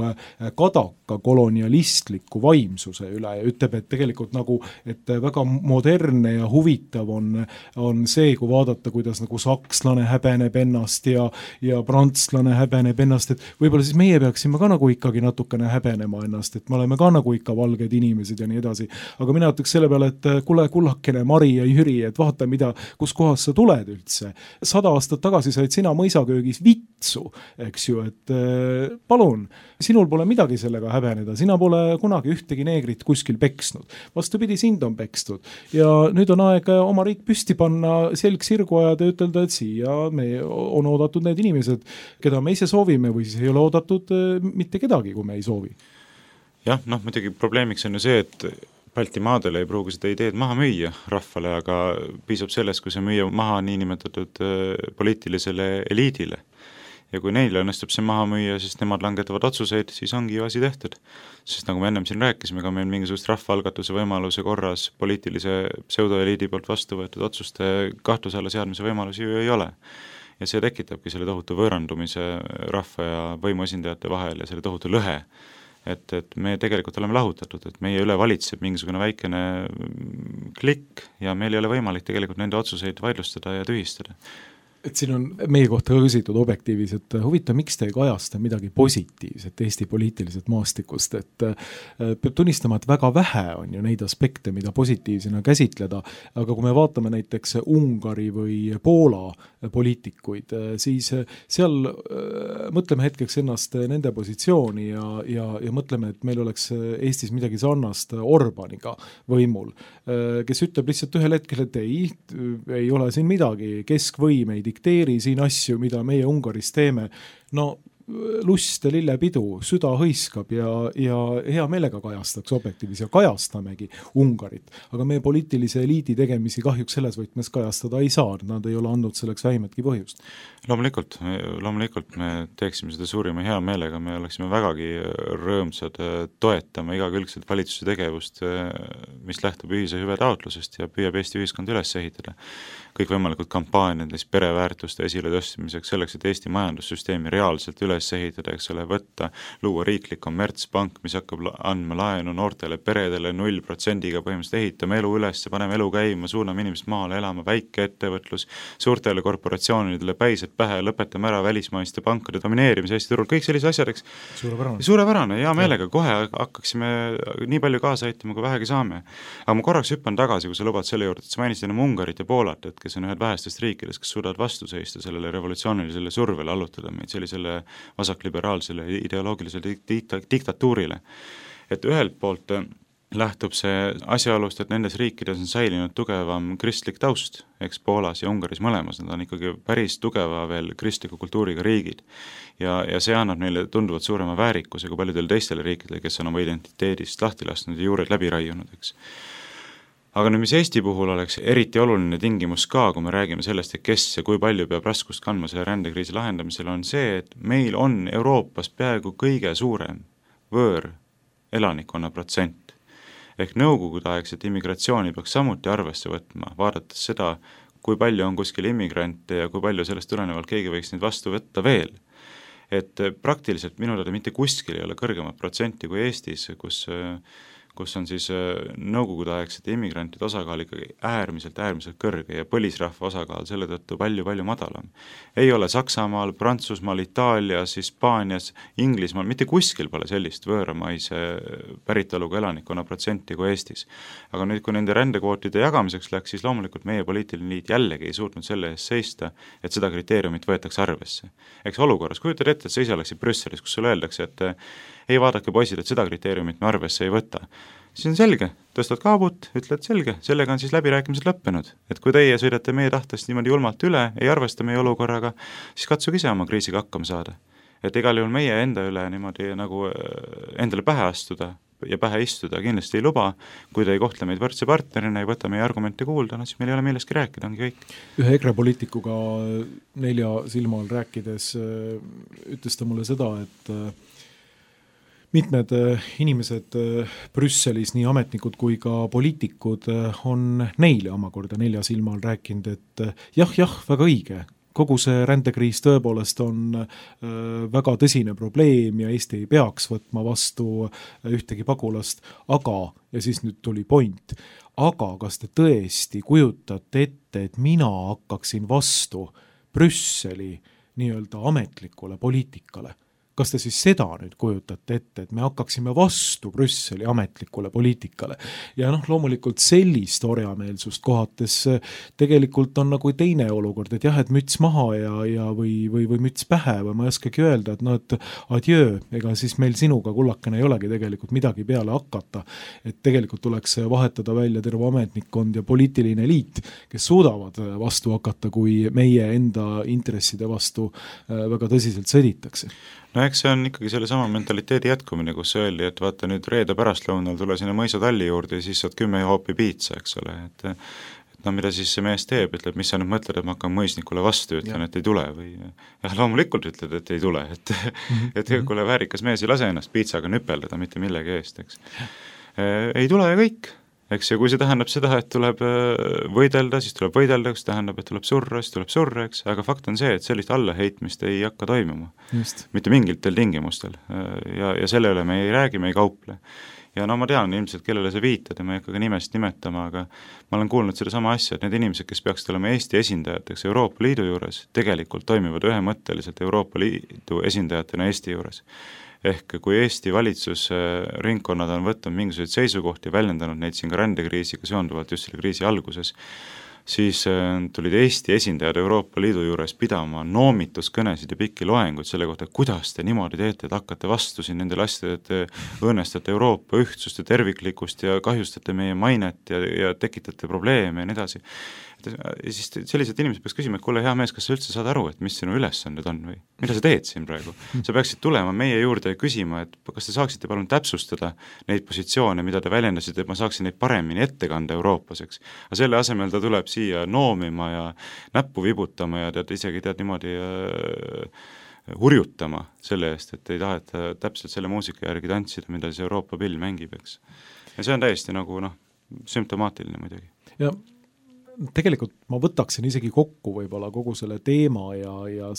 kadaka kolonialistliku vaimsuse üle ja ütleb, et tegelikult nagu, et väga modernne ja huvitav on see, kui vaadata, kuidas nagu sakslane häbeneb ennast ja prantslane häbeneb ennast, et võib-olla siis meie peaksime ka nagu ikkagi natukene häbenema ennast, et me oleme ka nagu ikka valged inimesed ja nii edasi. Aga mina ütleks selle peale, et kuule kullakene Mari ja Jüri, et vaata kus kohas sa tuled üldse. 100 aastat tagasi said sina mõisaköögis vitsu, eks ju, et palun, sinul pole midagi sellega häbeneda, sina pole kunagi ühtegi neegrit kuskil peksnud. Vastupidi, sind on pekstud. Ja nüüd on aeg oma riik püsti panna, selg sirgu ajada ja ütelda, et siia on oodatud need inimesed, keda me ise soovime või siis ei ole oodatud mitte kedagi, kui me ei soovi. Jah, muidugi probleemiks on ju see, et Baltimaadele ei pruugi seda ideed maha müüa rahvale, aga piisab sellest, kui see müüa maha niinimetatud poliitilisele eliidile. Ja kui neile õnnestub see maha müüa, siis nemad langetavad otsuseid, siis ongi ju asi tehtud. Sest nagu me ennem siin rääkisime, ka meil mingisugust rahvaalgatuse võimaluse korras poliitilise pseudoeliidi poolt vastu võetud otsuste kahtluse alla seadmise võimalusi ju ei ole. Ja see tekitabki selle tohutu võõrandumise rahva ja võimuesindajate vahel ja selle tohutu lõhe. Et me tegelikult oleme lahutatud, et meie üle valitseb mingisugune väikene klikk ja meil ei ole võimalik tegelikult nende otsuseid vaidlustada ja tühistada. Et siin on meie kohta küsitud objektiivis, et huvitav, miks te ei kajasta midagi positiivset Eesti poliitiliselt maastikust, et peab tunnistama, et väga vähe on ju neid aspekte, mida positiivsena käsitleda, aga kui me vaatame näiteks Ungari või Poola poliitikuid, siis seal mõtleme hetkeks ennast nende positsiooni ja mõtleme, et meil oleks Eestis midagi sarnast Orbaniga võimul, kes ütleb lihtsalt ühel hetkel, et ei ole siin midagi, keskvõim ei dikteeri siin asju, mida meie Ungaris teeme, no lust ja lillepidu, süda hõiskab ja hea meelega kajastaks objektiivis ja kajastamegi Ungarit, aga meie poliitilise eliidi tegemisi kahjuks selles võtmes kajastada ei saa, nad ei ole andnud selleks vähimatki põhjust. Loomulikult me teeksime seda suurima hea meelega, me oleksime vägagi rõõmsad toetama igakülgselt valitsuse tegevust, mis lähtub ühise hüve taotlusest ja püüab Eesti ühiskond üles ehitada. Kõikvõimalikud kampaaniad pereväärtuste esile tõstmiseks, selleks, et Eesti majandussüsteemi reaalselt üles ehitada, eks ole, võtta, luua riiklik kommertspank, mis hakkab andma laenu noortele peredele 0%-ga põhimõtteliselt ehitama elu üles, paneme elu käima, suuname inimest maale elama, väikeettevõtlus, suurtele korporatsioonidele päised pähe, lõpetame ära välismaiste pankade domineerimise Eesti turul, kõik sellised asjad, eks. Suurepärane, hea meelega, kohe hakkaksime nii palju kaasa aitama, kui vähegi saame. Aga ma korraks hüppan tagasi, kui sa lubad selle juurde, et sa mainisid enam Ungarit ja Poolat, et kes on ühed vähestest riikidest, kes suudavad vastu seista sellele revolutsioonilisele survele, allutada meid sellisele vasakliberaalsele ideoloogilisele diktatuurile. Et ühelt poolt lähtub see asjaolust, et nendes riikides on säilinud tugevam kristlik taust, eks Poolas ja Ungaris mõlemas, nad on ikkagi päris tugeva veel kristliku kultuuriga riigid. Ja see annab neile tunduvalt suurema väärikuse kui paljudel teistele riikidele, kes on oma identiteedist lahti lasknud ja juured läbi raiunud, eks. Aga nüüd, mis Eesti puhul oleks eriti oluline tingimus ka, kui me räägime sellest, et kes ja kui palju peab raskust kandma selle rändekriisi lahendamisel, on see, et meil on Euroopas peaaegu kõige suurem võõr elanikkonna protsent. Ehk nõukogudeaegset immigratsiooni peaks samuti arvesse võtma, vaadates seda, kui palju on kuskil immigrante ja kui palju sellest tulenevalt keegi võiks neid vastu võtta veel. Et praktiliselt minu teada mitte kuskil ei ole kõrgemat protsenti kui Eestis, kus on siis nõukogudeaegsete immigrantide osakaal ikkagi äärmiselt kõrge ja põlisrahva osakaal selle tõttu palju madalam. Ei ole Saksamaal, Prantsusmaal, Itaalias, Hispaanias, Inglismaal, mitte kuskil pole sellist võõramaise päritoluga elanikkonna protsenti kui Eestis. Aga nüüd, kui nende rändekvootide jagamiseks läks, siis loomulikult meie poliitiline liit jällegi ei suutnud selle eest seista, et seda kriteeriumit võetakse arvesse. Eks olukorras, kujutad ette, et sa ise oleksid Brüsselis, kus sulle öeldakse, et ei vaadake poisid, et seda kriteeriumit me arvesse ei võta. Siis on selge, tõstad kaabut, ütled selge, sellega on siis läbirääkimised lõppenud. Et kui teie sõidate meie tahtest niimoodi julmalt üle, ei arvesta meie olukorraga, siis katsuge ise oma kriisiga hakkama saada. Et igal juhul meie enda üle niimoodi nagu endale pähe astuda ja pähe istuda kindlasti ei luba, kui te ei kohtle meid võrdse partnerina, ei võta meie argumente kuulda, no siis meil ei ole millestki rääkida, ongi kõik. Ühe EKRE poliitikuga 4 silma all rääkides ütles ta mulle seda, et mitmed inimesed Brüsselis, nii ametnikud kui ka poliitikud, on neile omakorda 4 silma all rääkinud, et jah, väga õige, kogu see rändekriis tõepoolest on väga tõsine probleem ja Eesti ei peaks võtma vastu ühtegi pagulast, aga, ja siis nüüd tuli point, aga kas te tõesti kujutate ette, et mina hakkaksin vastu Brüsseli nii-öelda ametlikule poliitikale? Kas te siis seda nüüd kujutate ette, et me hakkaksime vastu Brüsseli ametlikule poliitikale? Ja loomulikult sellist orjameelsust kohates tegelikult on nagu teine olukord, et jah, et müts maha või müts pähe või ma ei oskagi öelda, et adjöö, ega siis meil sinuga kullakene ei olegi tegelikult midagi peale hakata. Et tegelikult tuleks vahetada välja terve ametnikkond ja poliitiline liit, kes suudavad vastu hakata, kui meie enda intresside vastu väga tõsiselt sõditakse. No eks see on ikkagi selle sama mentaliteedi jätkumine, kus öeldi, et vaata nüüd reede pärastlõunal tule sinna mõisatalli juurde ja siis saad 10 hoopi piitsa, eks ole, et mida siis see mees teeb, ütleb, mis sa nüüd mõtled, et ma hakkan mõisnikule vastu, ütlen, et ei tule või jah, loomulikult ütled, et ei tule, et kuule, väärikas mees ei lase ennast piitsaga nüpeldada mitte millegi eest, eks. Ei tule ja kõik. Eks ja kui see tähendab seda, et tuleb võidelda, siis tuleb võidelda, kui see tähendab, et tuleb surra, siis tuleb surra, eks, aga fakt on see, et sellist allaheitmist ei hakka toimuma. Mitte mingitel tingimustel ja selle üle me ei räägi, me ei kauple. ja no ma tean ilmselt, kellele sa viitad ja ma ei hakka ka nimest nimetama, aga ma olen kuulnud seda sama asja, et need inimesed, kes peaksid olema Eesti esindajateks Euroopa Liidu juures, tegelikult toimivad ühemõtteliselt Euroopa Liidu esindajatena Eesti juures. Ehk kui Eesti valitsusringkonnad on võtnud mingisuguseid seisukohti ja väljendanud neid siin ka rändekriisiga seonduvalt just selle kriisi alguses, siis tulid Eesti esindajad Euroopa Liidu juures pidama noomituskõnesid ja pikki loenguid selle kohta, kuidas te niimoodi teete, et hakkate vastu siin nendele asjadele, et te õõnestate Euroopa ühtsust ja terviklikkust ja kahjustate meie mainet ja tekitate probleeme ja nii edasi. Ja siis sellised inimesed peaks küsima, et kuule, hea mees, kas sa üldse saad aru, et mis sinu ülesanded on või mida sa teed siin praegu? Sa peaksid tulema meie juurde ja küsima, et kas te saaksite palun täpsustada neid positsioone, mida te väljendasite, et ma saaksin neid paremini ette kanda Euroopaseks. Aga selle asemel ta tuleb siia noomima ja näppu vibutama ja isegi niimoodi hurjutama selle eest, et ei taheta täpselt selle muusika järgi tantsida, mida siis Euroopa pill mängib, eks. Ja see on täiesti nagu sümptomaatiline muidugi. Ja tegelikult ma võtaksin isegi kokku võib-olla kogu selle teema ja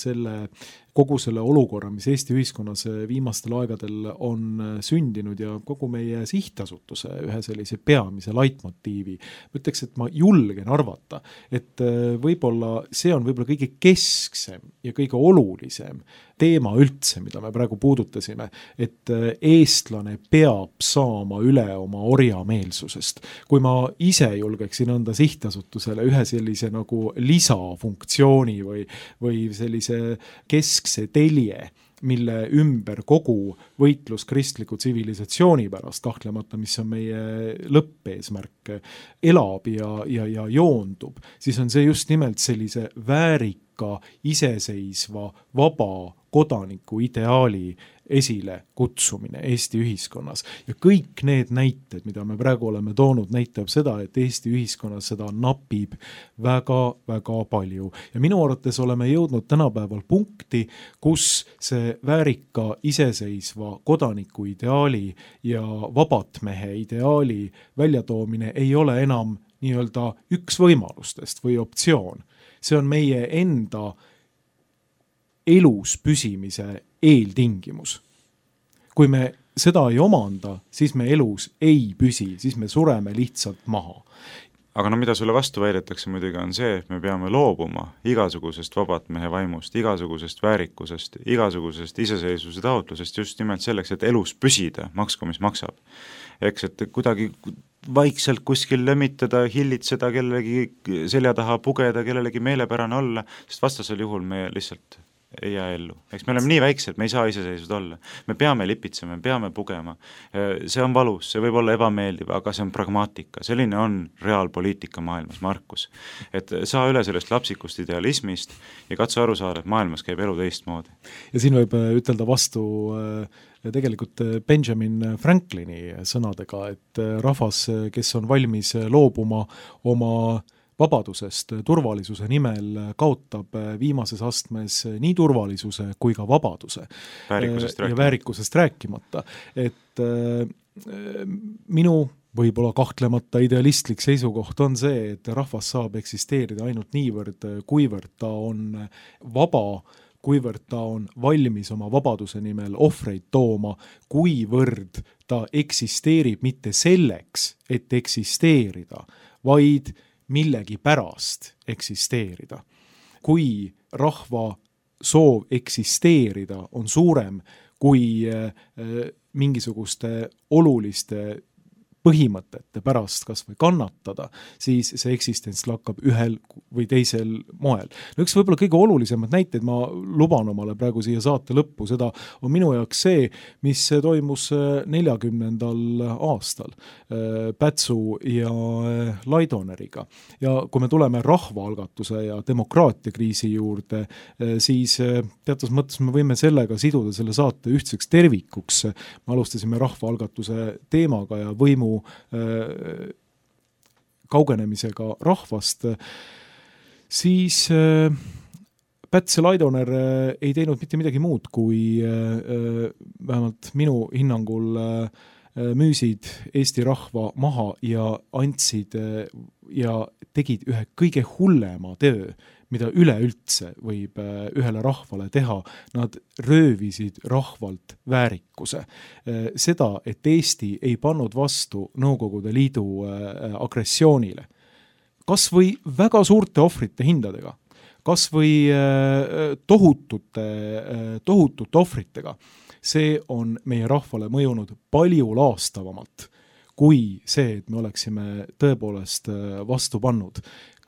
kogu selle olukorra, mis Eesti ühiskonnas viimastel aegadel on sündinud ja kogu meie sihtasutuse ühe sellise peamise laitmotiivi. Ma ütleks, et ma julgen arvata, et võib-olla see on võib-olla kõige kesksem ja kõige olulisem teema üldse, mida me praegu puudutasime, et eestlane peab saama üle oma orjameelsusest. Kui ma ise julgeksin anda sihtasutusele ühe sellise nagu lisafunktsiooni või sellise keskse telje, mille ümber kogu võitlus kristliku tsivilisatsiooni pärast, kahtlemata, mis on meie lõppeesmärk, elab ja joondub, siis on see just nimelt sellise väärika, iseseisva, vaba kodaniku ideaali esile kutsumine Eesti ühiskonnas. Ja kõik need näited, mida me praegu oleme toonud, näitab seda, et Eesti ühiskonnas seda napib väga-väga palju. Ja minu arvates oleme jõudnud tänapäeval punkti, kus see väärika, iseseisva kodaniku ideaali ja vabatmehe ideaali väljatoomine ei ole enam nii-öelda üks võimalustest või optsioon. See on meie enda elus püsimise eeltingimus. Kui me seda ei omanda, siis me elus ei püsi, siis me sureme lihtsalt maha. Aga mida sulle vastu väidetakse muidugi on see, et me peame loobuma igasugusest vabatmehe vaimust, igasugusest väärikusest, igasugusest iseseisvuse taotlusest just nimelt selleks, et elus püsida, maksku mis maksab. Eks, et kuidagi vaikselt kuskil lömitada, hillitseda, kellelegi selja taha pugeda, kellelegi meelepärane olla, sest vastasel juhul me lihtsalt ei jää ellu. Eks me oleme nii väiksed, me ei saa iseseisvud olla. Me peame lipitsema, me peame pugema. See on valus, see võib olla ebameeldiv, aga see on pragmaatika. Selline on reaalpoliitika maailmas, Markus. Et saa üle sellest lapsikust idealismist ja katsu aru saada, et maailmas käib elu teistmoodi. Ja siin võib ütelda vastu tegelikult Benjamin Franklini sõnadega, et rahvas, kes on valmis loobuma oma vabadusest turvalisuse nimel, kaotab viimases astmes nii turvalisuse kui ka vabaduse. Väärikusest rääkimata. Et minu võib-olla kahtlemata idealistlik seisukoht on see, et rahvas saab eksisteerida ainult niivõrd, kuivõrd ta on vaba, kuivõrd ta on valmis oma vabaduse nimel ohvreid tooma, kuivõrd ta eksisteerib mitte selleks, et eksisteerida, vaid millegi pärast eksisteerida. Kui rahva soov eksisteerida on suurem kui mingisuguste oluliste põhimõtete pärast kas või kannatada, siis see eksistents lakkab ühel või teisel moel. No üks võib-olla kõige olulisemad näited, ma luban omale praegu siia saate lõppu, seda on minu jaoks see, mis toimus 40. aastal Pätsu ja Laidoneriga. Ja kui me tuleme rahvaalgatuse ja demokraatiakriisi juurde, siis teatud mõttes me võime sellega siduda selle saate ühtseks tervikuks. Me alustasime rahvaalgatuse teemaga ja võimu kaugenemisega rahvast, siis Päts ja Laidoner ei teinud mitte midagi muud, kui vähemalt minu hinnangul müüsid Eesti rahva maha ja andsid ja tegid ühe kõige hullema töö, mida üleüldse võib ühele rahvale teha. Nad röövisid rahvalt väärikuse. Seda, et Eesti ei pannud vastu Nõukogude Liidu agressioonile. Kas või väga suurte ohvrite hindadega, kas või tohutute ohvritega. See on meie rahvale mõjunud palju laastavamalt kui see, et me oleksime tõepoolest vastu pannud.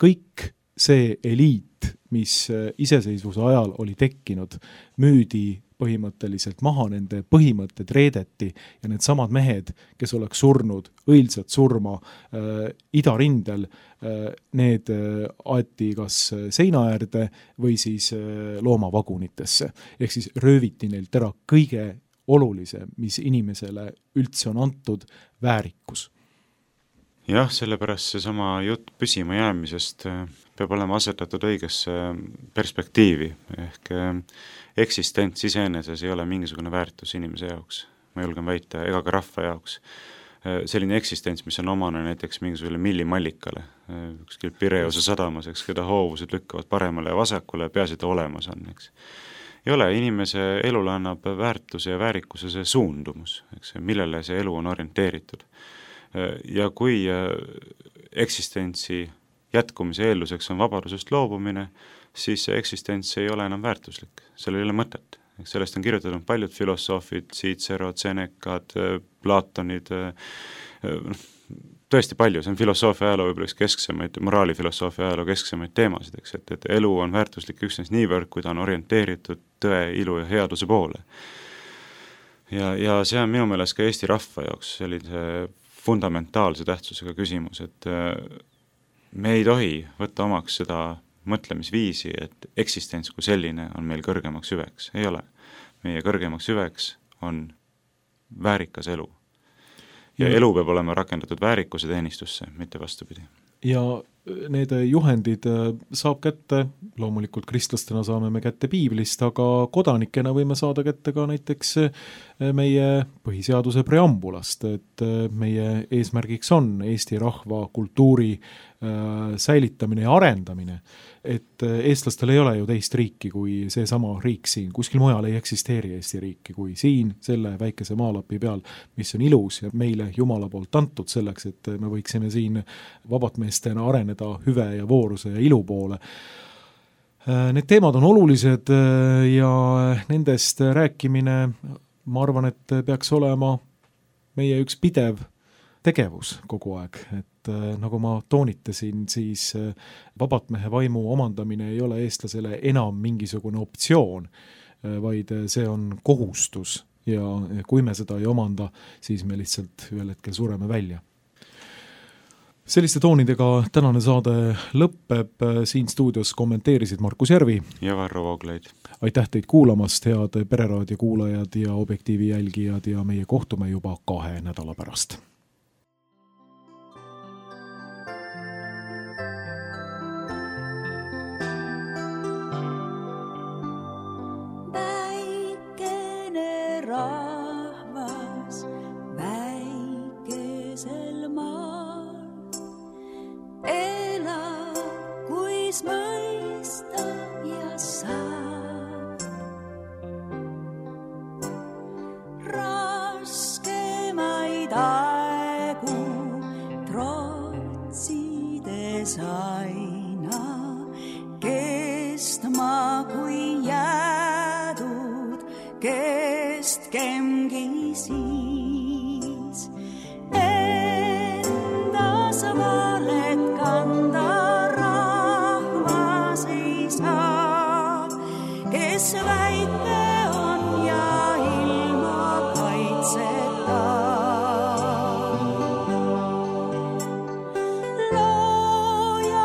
Kõik see eliit, mis iseseisvuse ajal oli tekkinud, müüdi põhimõtteliselt maha, nende põhimõtted reedeti ja need samad mehed, kes oleks surnud õilsat surma idarindel, need aeti kas seina äärde või siis loomavagunitesse. Ehk siis rööviti neilt ära kõige olulisem, mis inimesele üldse on antud, väärikus. Jah, sellepärast seesama jutt püsima jäämisest peab olema asetatud õigesse perspektiivi, ehk eksistents iseeneses ei ole mingisugune väärtus inimese jaoks, ma julgen väita, ega ka rahva jaoks. Selline eksistents, mis on omane näiteks mingisugune millimallikale, ükskõik Pireuse sadamas, eks, keda hoovused lükkavad paremale ja vasakule, peaasi ta olemas on, eks. Ei ole, inimese elule annab väärtuse ja väärikuse see suundumus, eks, millele see elu on orienteeritud. Ja kui eksistentsi jätkumise eelduseks on vabadusest loobumine, siis see eksistents ei ole enam väärtuslik, sellel ei ole mõtet. Sellest on kirjutatud paljud filosoofid, Cicero, Senecad, Platonid, tõesti palju, see on filosoofia ajaloo võib-olla üks kesksemaid, moraalifilosoofia ajaloo kesksemaid teemasid, eks, et elu on väärtuslik üksnes niivõrd, kui ta on orienteeritud tõe, ilu ja headuse poole. Ja see on minu meelest ka Eesti rahva jaoks sellise fundamentaalse tähtsusega küsimus, et me ei tohi võtta omaks seda mõtlemisviisi, et eksistents kui selline on meil kõrgemaks hüveks. Ei ole. Meie kõrgemaks hüveks on väärikas elu. Ja elu peab olema rakendatud väärikuse teenistusse, mitte vastupidi. Ja need juhendid saab kätte, loomulikult kristlastena saame me kätte piiblist, aga kodanikena võime saada kätte ka näiteks meie põhiseaduse preambulast, et meie eesmärgiks on Eesti rahva kultuuri säilitamine ja arendamine, et eestlastel ei ole ju teist riiki kui seesama riik siin, kuskil mujal ei eksisteeri Eesti riiki kui siin, selle väikese maalapi peal, mis on ilus ja meile Jumala poolt antud selleks, et me võiksime siin vabatmeestena areneda hüve ja vooruse ja ilu poole. Need teemad on olulised ja nendest rääkimine, ma arvan, et peaks olema meie üks pidev tegevus kogu aeg, et nagu ma toonitasin, siis vabatmehe vaimu omandamine ei ole eestlasele enam mingisugune optsioon, vaid see on kohustus ja kui me seda ei omanda, siis me lihtsalt ühel hetkel sureme välja. Selliste toonidega tänane saade lõpeb, siin stuudios kommenteerisid Markus Järvi ja Varro Vooglaid. Aitäh teid kuulamast, head Pereraadio kuulajad ja Objektiivi jälgijad ja meie kohtume juba 2 nädala pärast. Looja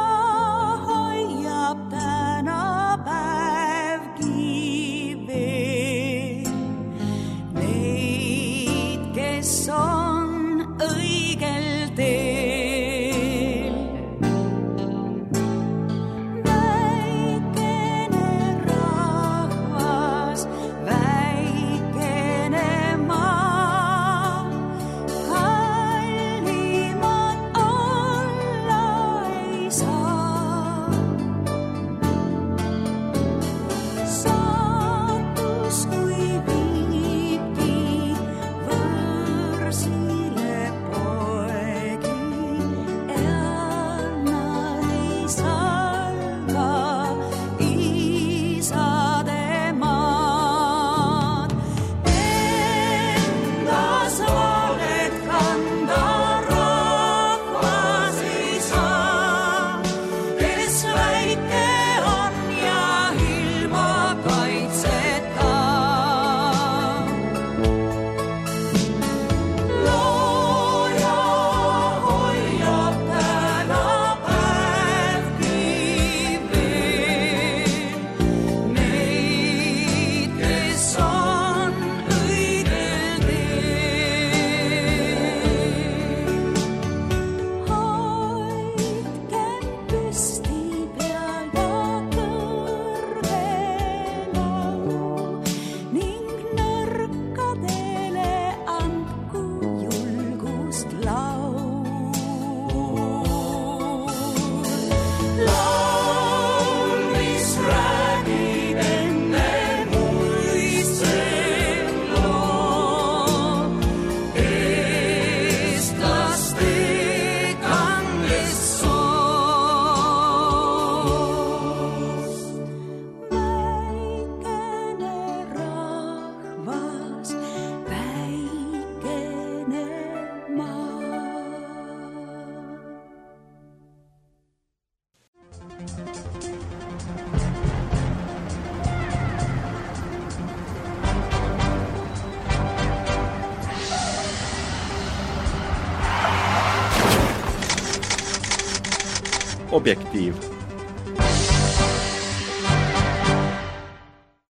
Objektiiv